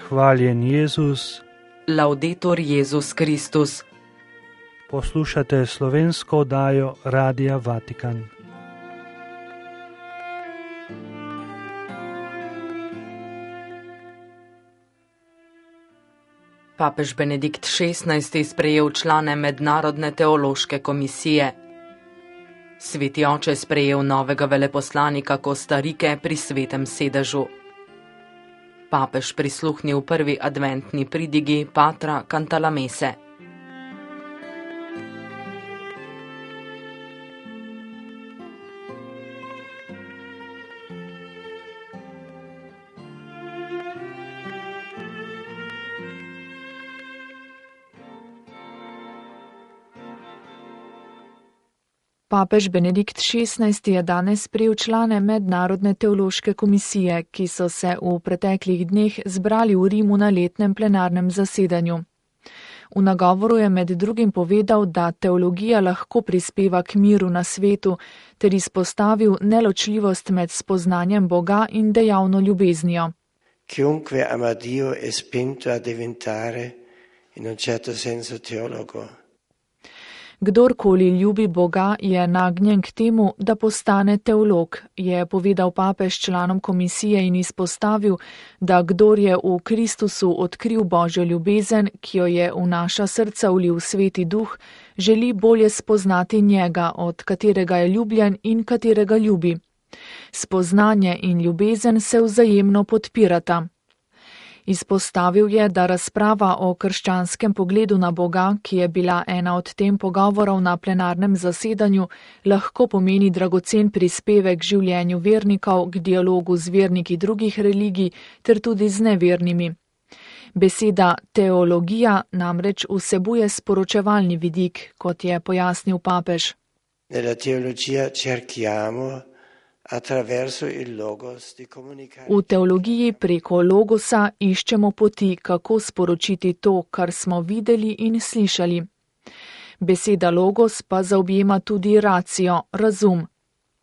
Hvaljen Jezus. Laudetur Jezus Kristus. Poslušate slovensko oddajo Radia Vatikan. Papež Benedikt XVI. Sprejel člane Mednarodne teološke komisije. Sveti oče sprejel novega veleposlanika Kostarike pri svetem sedežu. Papež prisluhnil prvi adventni pridigi Patra Cantalamesse. Papež Benedikt XVI. Je danes sprejel člane Mednarodne teološke komisije, ki so se v preteklih dneh zbrali v Rimu na letnem plenarnem zasedanju. V nagovoru je med drugim povedal, da teologija lahko prispeva k miru na svetu, ter izpostavil neločljivost med spoznanjem Boga in dejavno ljubeznijo. Chiunque ama Dio è spinto a diventare in un certo senso teologo. Kdorkoli ljubi Boga, je nagnjen k temu, da postane teolog, je povedal papež članom komisije in izpostavil, da kdor je v Kristusu odkril Božjo ljubezen, ki jo je v naša srca vlil Sveti Duh, želi bolje spoznati njega, od katerega je ljubljen in katerega ljubi. Spoznanje in ljubezen se vzajemno podpirata. Izpostavil je, da razprava o krščanskem pogledu na Boga, ki je bila ena od tem pogovorov na plenarnem zasedanju, lahko pomeni dragocen prispevek življenju vernikov k dialogu z verniki drugih religij ter tudi z nevernimi. Beseda teologija namreč vsebuje sporočevalni vidik, kot je pojasnil papež. Nella teologia cerchiamo V teologiji preko logosa iščemo poti, kako sporočiti to, kar smo videli in slišali. Beseda logos pa zaobjema tudi racio, razum.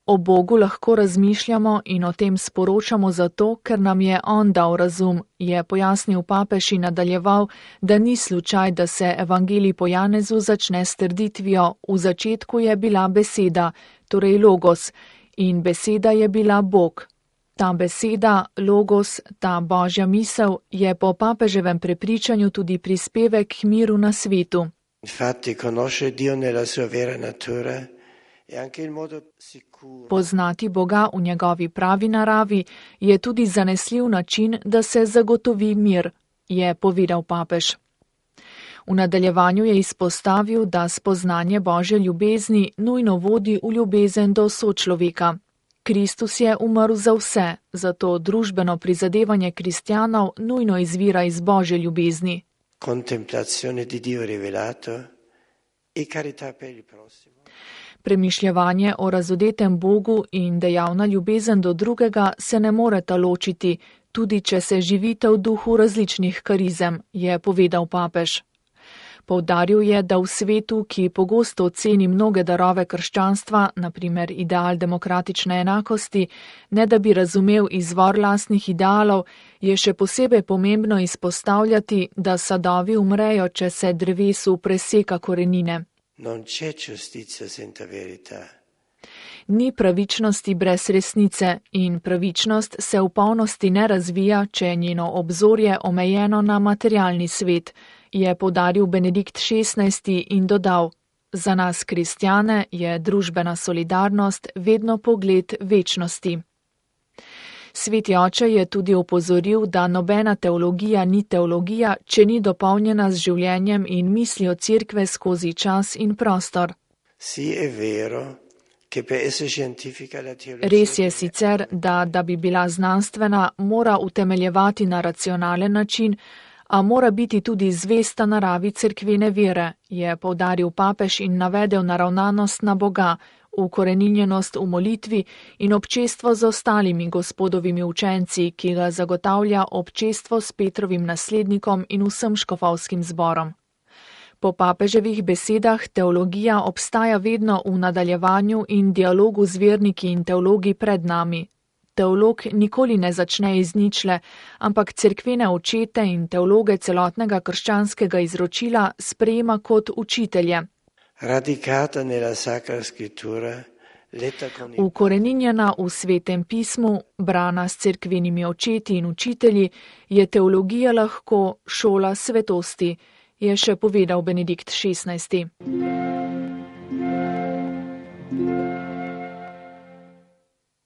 O Bogu lahko razmišljamo in o tem sporočamo zato, ker nam je On dal razum, je pojasnil papež in nadaljeval, da ni slučaj, da se evangelij po Janezu začne s trditvijo: v začetku je bila beseda, torej logos, in beseda je bila Bog. Ta beseda, logos, ta Božja misel je po papeževem prepričanju tudi prispevek k miru na svetu. Poznati Boga v njegovi pravi naravi je tudi zanesljiv način, da se zagotovi mir, je povedal papež. V nadaljevanju je izpostavil, da spoznanje Božje ljubezni nujno vodi v ljubezen do sočloveka. Kristus je umrl za vse, zato družbeno prizadevanje kristjanov nujno izvira iz Božje ljubezni. Premišljevanje o razodetem Bogu in dejavna ljubezen do drugega se ne moreta ločiti, tudi če se živite v duhu različnih karizem, je povedal papež. Poudaril je, da v svetu, ki pogosto oceni mnoge darove krščanstva, naprimer ideal demokratične enakosti, ne da bi razumel izvor lastnih idealov, je še posebej pomembno izpostavljati, da sadovi umrejo, če se drevesu preseka korenine. Ni pravičnosti brez resnice in pravičnost se v polnosti ne razvija, če je njeno obzorje omejeno na materialni svet, je poudaril Benedikt XVI. In dodal: za nas kristjane je družbena solidarnost vedno pogled večnosti. Sveti oče je tudi opozoril, da nobena teologija ni teologija, če ni dopolnjena z življenjem in mislijo cerkve skozi čas in prostor. Res je sicer, da bi bila znanstvena, mora utemeljevati na racionalen način, a mora biti tudi zvesta naravi cerkvene vere, je poudaril papež in navedel naravnanost na Boga, ukoreninjenost v molitvi in občestvo z ostalimi gospodovimi učenci, ki ga zagotavlja občestvo s Petrovim naslednikom in vsem škofovskim zborom. Po papeževih besedah teologija obstaja vedno v nadaljevanju in dialogu z verniki in teologi pred nami. teolog nikoli ne začne iz ničle, ampak cerkvene očete in teologe celotnega krščanskega izročila sprejema kot učitelje. Radicata nella Sacra Scrittura, Ukoreninjena v Svetem pismu, brana s cerkvenimi očeti in učitelji, je teologija lahko šola svetosti, je še povedal Benedikt XVI.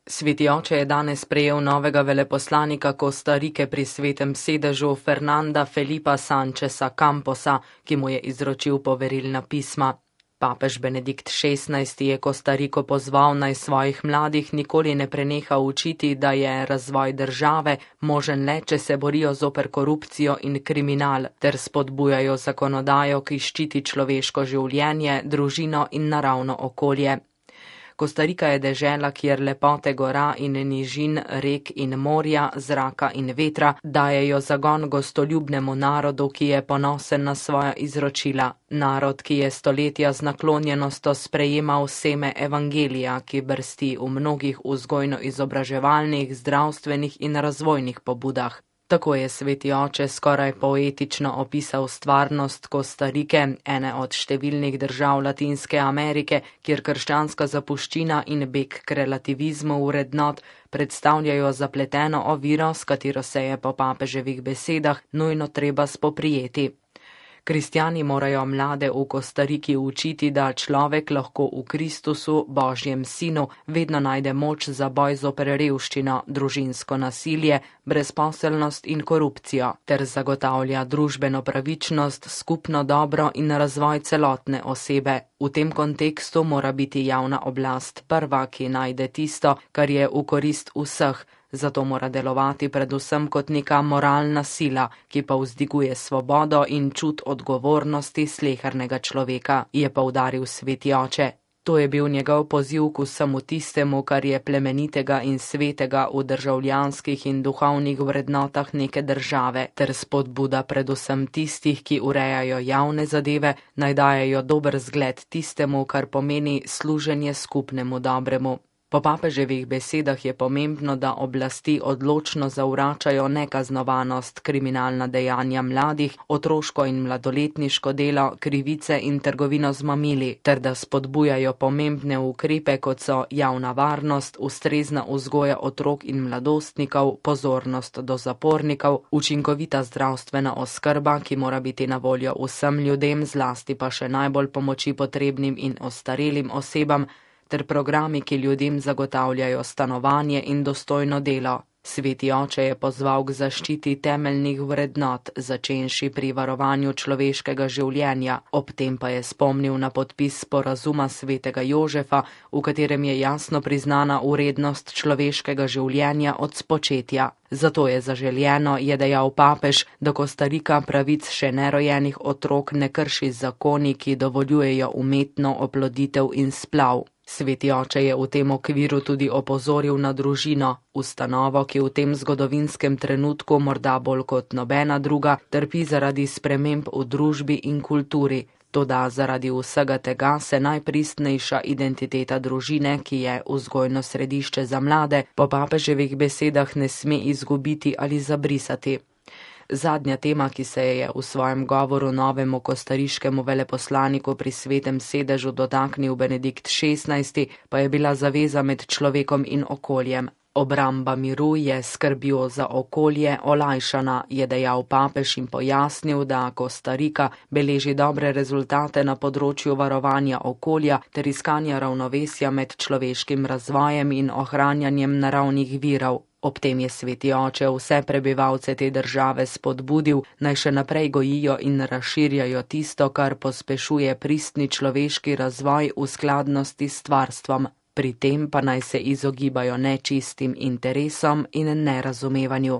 Sveti oče je danes prejel novega veleposlanika Kostarike pri svetem sedežu Fernanda Felipa Sancheza Camposa, ki mu je izročil poverilna pisma. Papež Benedikt XVI je Kostariko pozval, naj svojih mladih nikoli ne preneha učiti, da je razvoj države možen le, če se borijo zoper korupcijo in kriminal, ter spodbujajo zakonodajo, ki ščiti človeško življenje, družino in naravno okolje. Kostarika je dežela, kjer lepote gora in nižin, rek in morja, zraka in vetra dajejo zagon gostoljubnemu narodu, ki je ponosen na svoja izročila. Narod, ki je stoletja z naklonjenostjo sprejemal seme evangelija, ki brsti v mnogih vzgojno-izobraževalnih, zdravstvenih in razvojnih pobudah. Tako je sveti oče skoraj poetično opisal stvarnost Kostarike, ene od številnih držav Latinske Amerike, kjer krščanska zapuščina in beg k relativizmu vrednot predstavljajo zapleteno oviro, s katero se je po papeževih besedah nujno treba spoprijeti. Kristjani morajo mlade v Kostariki učiti, da človek lahko v Kristusu, Božjem sinu, vedno najde moč za boj zoper revščino, družinsko nasilje, brezposelnost in korupcijo, ter zagotavlja družbeno pravičnost, skupno dobro in razvoj celotne osebe. V tem kontekstu mora biti javna oblast prva, ki najde tisto, kar je v korist vseh. Zato mora delovati predvsem kot neka moralna sila, ki pa vzdiguje svobodo in čut odgovornosti slehernega človeka, je poudaril sveti oče. To je bil njegov poziv k vsemu tistemu, kar je plemenitega in svetega v državljanskih in duhovnih vrednotah neke države, ter spodbuda predvsem tistih, ki urejajo javne zadeve, naj dajejo dober zgled tistemu, kar pomeni služenje skupnemu dobremu. Po papeževih besedah je pomembno, da oblasti odločno zavračajo nekaznovanost, kriminalna dejanja mladih, otroško in mladoletniško delo, krivice in trgovino z mamili, ter da spodbujajo pomembne ukrepe, kot so javna varnost, ustrezna vzgoja otrok in mladostnikov, pozornost do zapornikov, učinkovita zdravstvena oskrba, ki mora biti na voljo vsem ljudem, zlasti pa še najbolj pomoči potrebnim in ostarelim osebam, ter programi, ki ljudem zagotavljajo stanovanje in dostojno delo. Sveti oče je pozval k zaščiti temeljnih vrednot, začenši pri varovanju človeškega življenja, ob tem pa je spomnil na podpis sporazuma svetega Jožefa, v katerem je jasno priznana vrednost človeškega življenja od spočetja. Zato je zaželjeno, je dejal papež, da Kostarika pravic še nerojenih otrok ne krši z zakoni, ki dovoljujejo umetno oploditev in splav. Sveti oče je v tem okviru tudi opozoril na družino, ustanovo, ki v tem zgodovinskem trenutku morda bolj kot nobena druga trpi zaradi sprememb v družbi in kulturi. Toda zaradi vsega tega se najpristnejša identiteta družine, ki je vzgojno središče za mlade, po papeževih besedah ne sme izgubiti ali zabrisati. Zadnja tema, ki se je v svojem govoru novemu kostariškemu veleposlaniku pri svetem sedežu dotaknil Benedikt XVI, pa je bila zaveza med človekom in okoljem. Obramba miru je skrbjo za okolje olajšana, je dejal papež in pojasnil, da Kostarika beleži dobre rezultate na področju varovanja okolja ter iskanja ravnovesja med človeškim razvojem in ohranjanjem naravnih virov. Ob tem je sveti oče vse prebivalce te države spodbudil, naj še naprej gojijo in razširjajo tisto, kar pospešuje pristni človeški razvoj v skladnosti s stvarstvom. Pri tem pa naj se izogibajo nečistim interesom in nerazumevanju.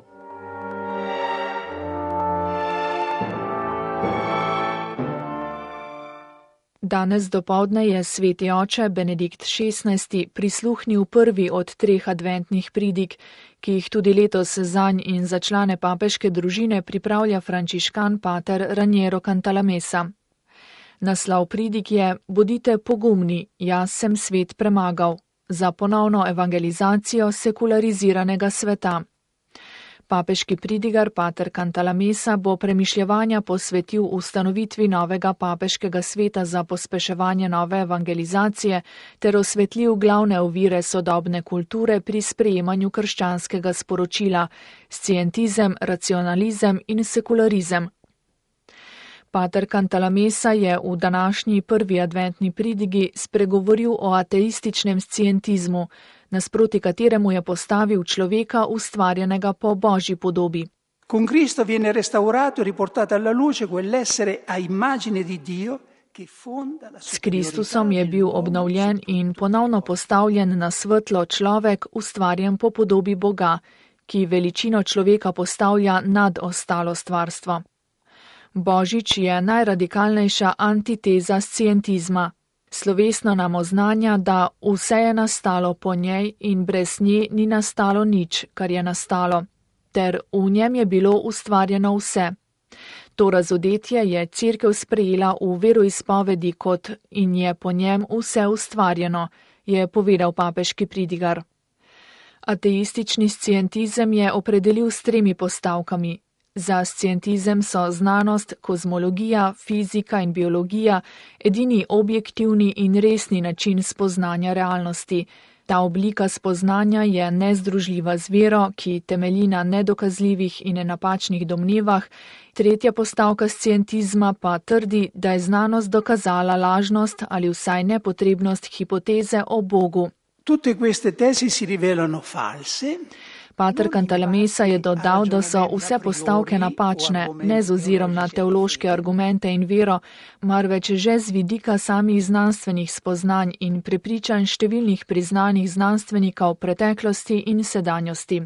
Danes dopoldne je sveti oče Benedikt XVI prisluhnil prvi od 3 adventnih pridig, ki jih tudi letos zanj in za člane papeške družine pripravlja frančiškan pater Raniero Cantalamessa. Naslov pridig je: Bodite pogumni, jaz sem svet premagal. za ponovno evangelizacijo sekulariziranega sveta. Papeški pridigar pater Cantalamessa bo premišljevanja posvetil ustanovitvi novega papeškega sveta za pospeševanje nove evangelizacije ter osvetlil glavne ovire sodobne kulture pri sprejemanju krščanskega sporočila, scientizem, racionalizem in sekularizem. Pater Cantalamessa je v današnji prvi adventni pridigi spregovoril o ateističnem scientizmu, nasproti kateremu je postavil človeka ustvarjenega po Božji podobi. Con Cristo viene restaurato e riportato alla luce quell'essere a immagine di Dio che fonda la S Kristusom je bil obnovljen in ponovno postavljen na svetlo človek, ustvarjen po podobi Boga, ki veličino človeka postavlja nad ostalo stvarstvo. Božič je najradikalnejša antiteza scientizma. Slovesno nam oznanja, da vse je nastalo po njej in brez nje ni nastalo nič, kar je nastalo, ter v njem je bilo ustvarjeno vse. To razodetje je Cerkev sprejela v veroizpovedi kot in je po njem vse ustvarjeno, je povedal papeški pridigar. Ateistični scientizem je opredelil s 3 postavkami. Za scientizem so znanost, kozmologija, fizika in biologija edini objektivni in resni način spoznanja realnosti. Ta oblika spoznanja je nezdružljiva z vero, ki temelji na nedokazljivih in napačnih domnevah. 3. postavka scientizma pa trdi, da je znanost dokazala lažnost ali vsaj nepotrebnost hipoteze o Bogu. Tutte queste tesi si rivelano false. Pater Cantalamessa je dodal, da so vse postavke napačne, ne z ozirom na teološke argumente in vero, marveč že z vidika samih znanstvenih spoznanj in prepričanj številnih priznanih znanstvenikov preteklosti in sedanjosti.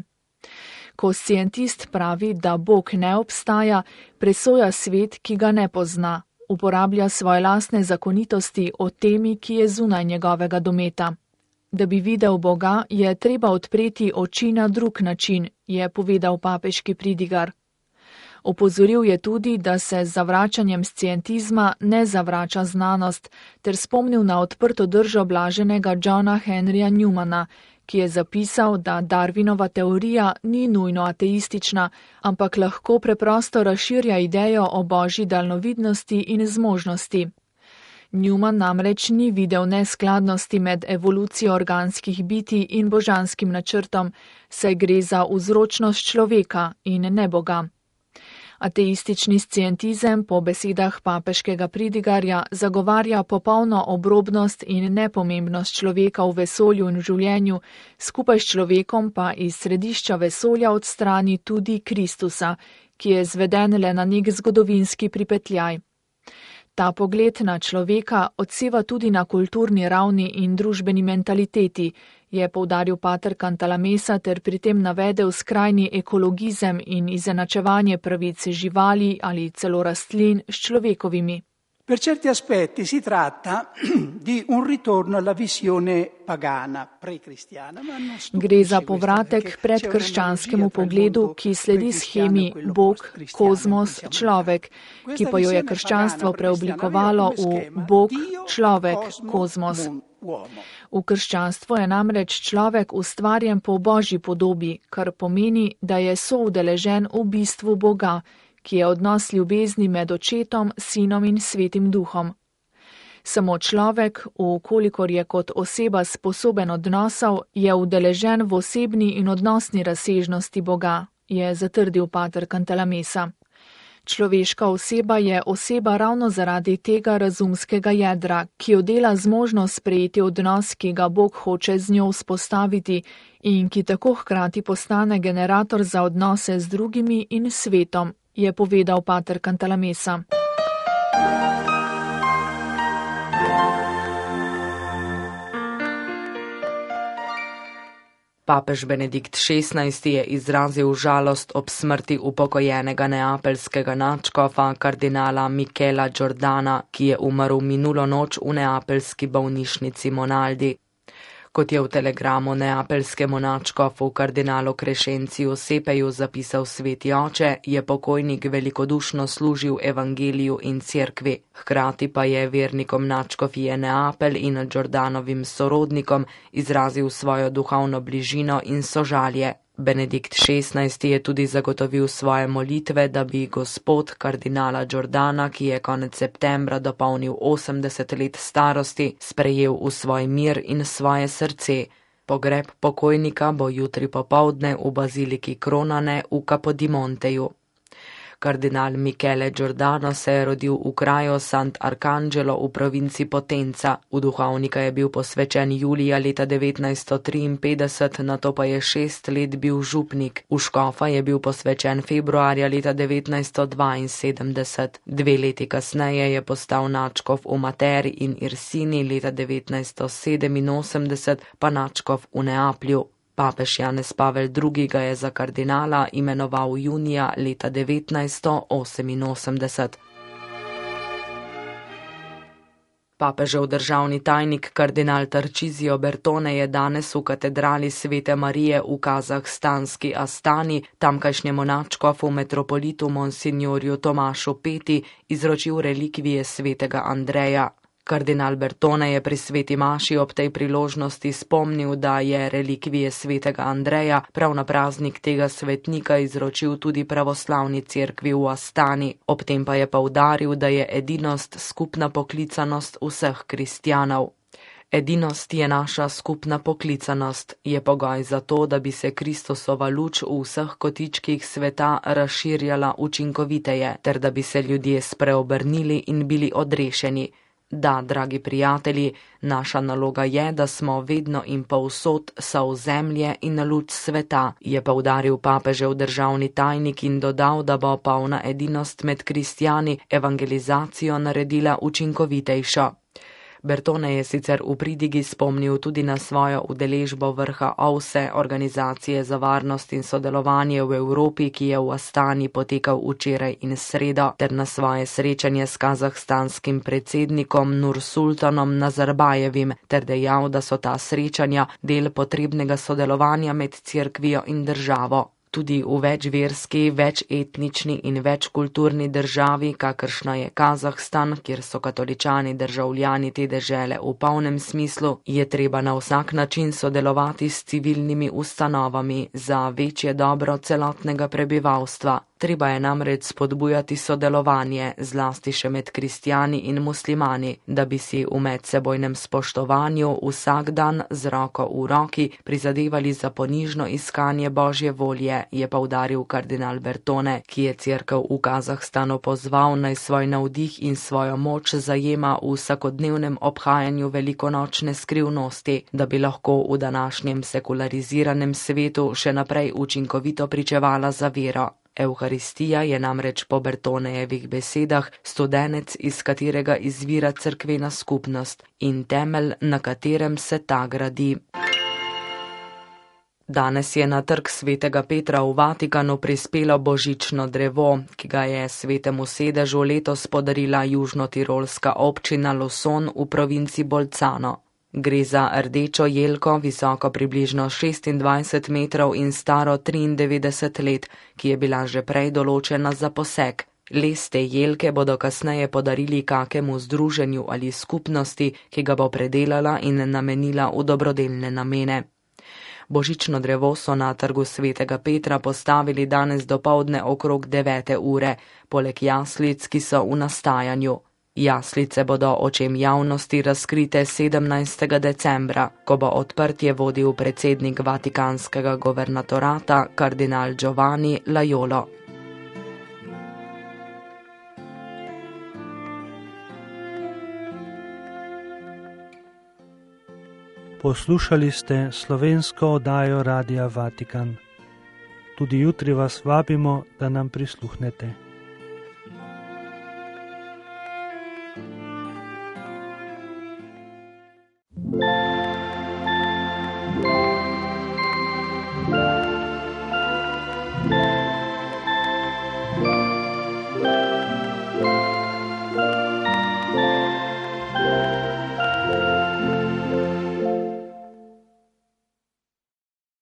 Ko scientist pravi, da Bog ne obstaja, presoja svet, ki ga ne pozna, uporablja svoje lastne zakonitosti o temi, ki je zunaj njegovega dometa. Da bi videl Boga, je treba odpreti oči na drug način, je povedal papeški pridigar. Opozoril je tudi, da se z zavračanjem scientizma ne zavrača znanost, ter spomnil na odprto držo blaženega Johna Henryja Newmana, ki je zapisal, da Darwinova teorija ni nujno ateistična, ampak lahko preprosto razširja idejo o božji daljnovidnosti in zmožnosti. Newman namreč ni videl neskladnosti med evolucijo organskih bitij in božanskim načrtom, saj gre za vzročnost človeka in ne Boga. Ateistični scientizem po besedah papeškega pridigarja zagovarja popolno obrobnost in nepomembnost človeka v vesolju in v življenju, skupaj s človekom pa iz središča vesolja odstrani tudi Kristusa, ki je zveden le na nek zgodovinski pripetljaj. Ta pogled na človeka odseva tudi na kulturni ravni in družbeni mentaliteti, je poudaril pater Cantalamessa ter pri tem navedel skrajni ekologizem in izenačevanje pravic živali ali celo rastlin s človekovimi. Per certi aspetti si tratta di un ritorno alla visione pagana, pre-cristiana. Gre za povratek predkrščanskemu pogledu, ki sledi shemi Bog, kozmos, človek, ki pa jo je krščanstvo preoblikovalo v Bog, človek, kozmos. V krščanstvu je namreč človek ustvarjen po Božji podobi, kar pomeni, da je soudeležen v bistvu Boga, ki je odnos ljubezni med očetom, sinom in svetim duhom. Samo človek, vkolikor je kot oseba sposoben odnosov, je udeležen v osebni in odnosni razsežnosti Boga, je zatrdil pater Cantalamessa. Človeška oseba je oseba ravno zaradi tega razumskega jedra, ki jo dela zmožnost sprejeti odnos, ki ga Bog hoče z njo vzpostaviti in ki tako hkrati postane generator za odnose z drugimi in svetom, je povedal pater Cantalamessa. Papež Benedikt XVI je izrazil žalost ob smrti upokojenega neapeljskega nadškofa kardinala Michela Giordana, ki je umrl minulo noč v neapeljski bolnišnici Monaldi. Kot je v telegramu neapeljskemu nadškofu kardinalu Crescenciu Sepeju zapisal sveti oče, je pokojnik velikodušno služil evangeliju in cerkvi. Hkrati pa je vernikom nadškofije Neapelj in Giordanovim sorodnikom izrazil svojo duhovno bližino in sožalje. Benedikt XVI je tudi zagotovil svoje molitve, da bi gospod kardinala Giordana, ki je konec septembra dopolnil 80 let starosti, sprejel v svoj mir in svoje srce. Pogreb pokojnika bo jutri popoldne v baziliki Kronane v Capodimonteju. Kardinal Michele Giordano se je rodil v kraju Sant'Arcangelo v provinci Potenza. V duhovnika je bil posvečen julija leta 1953, nato pa je 6 let bil župnik. V škofa je bil posvečen februarja leta 1972. 2 leti kasneje je postal nadškof v Materi in Irsini, leta 1987 pa nadškof v Neaplju. Papež Janez Pavel II. Ga je za kardinala imenoval junija leta 1988. Papežev državni tajnik kardinal Tarcisio Bertone je danes v katedrali Svete Marije v kazahstanski Astani tamkajšnjemu nadškofu metropolitu monsignorju Tomašu Peti izročil relikvije svetega Andreja. Kardinal Bertone je pri sveti maši ob tej priložnosti spomnil, da je relikvije svetega Andreja prav na praznik tega svetnika izročil tudi pravoslavni cerkvi v Astani. Ob tem pa je poudaril, da je edinost skupna poklicanost vseh kristjanov. Edinost je naša skupna poklicanost, je pogoj za to, da bi se Kristusova luč v vseh kotičkih sveta razširjala učinkoviteje, ter da bi se ljudje spreobrnili in bili odrešeni. Da, dragi prijatelji, naša naloga je, da smo vedno in povsod sol zemlje in luč sveta, je poudaril papežev državni tajnik in dodal, da bo polna edinost med kristjani evangelizacijo naredila učinkovitejšo. Bertone je sicer v pridigi spomnil tudi na svojo udeležbo vrha OVSE, Organizacije za varnost in sodelovanje v Evropi, ki je v Astani potekal včeraj in sredo, ter na svoje srečanje s kazahstanskim predsednikom Nursultanom Nazarbajevim, ter dejal, da so ta srečanja del potrebnega sodelovanja med cerkvijo in državo. Tudi v večverski, večetnični in večkulturni državi, kakršna je Kazahstan, kjer so katoličani državljani te dežele v polnem smislu, je treba na vsak način sodelovati s civilnimi ustanovami za večje dobro celotnega prebivalstva. Treba je namreč spodbujati sodelovanje, zlasti še med kristjani in muslimani, da bi si v medsebojnem spoštovanju vsak dan z roko v roki prizadevali za ponižno iskanje Božje volje, je poudaril kardinal Bertone, ki je cerkev v Kazahstanu pozval, naj svoj navdih in svojo moč zajema v vsakodnevnem obhajanju velikonočne skrivnosti, da bi lahko v današnjem sekulariziranem svetu še naprej učinkovito pričevala za vero. Evharistija je namreč po Bertonejevih besedah studenec, iz katerega izvira cerkvena skupnost in temelj, na katerem se ta gradi. Danes je na trg svetega Petra v Vatikanu prispelo božično drevo, ki ga je svetemu sedežu letos podarila južnotirolska občina Loson v provinci Bolzano. Gre za rdečo jelko, visoko približno 26 metrov in staro 93 let, ki je bila že prej določena za posek. Les te jelke bodo kasneje podarili kakemu združenju ali skupnosti, ki ga bo predelala in namenila v dobrodelne namene. Božično drevo so na trgu svetega Petra postavili danes dopoldne okrog 9. ure, poleg jaslic, ki so v nastajanju. Jaslice bodo očem javnosti razkrite 17. decembra, ko bo odprtje vodil predsednik vatikanskega governatorata kardinal Giovanni Laiolo. Poslušali ste slovensko oddajo Radia Vatikan. Tudi jutri vas vabimo, da nam prisluhnete.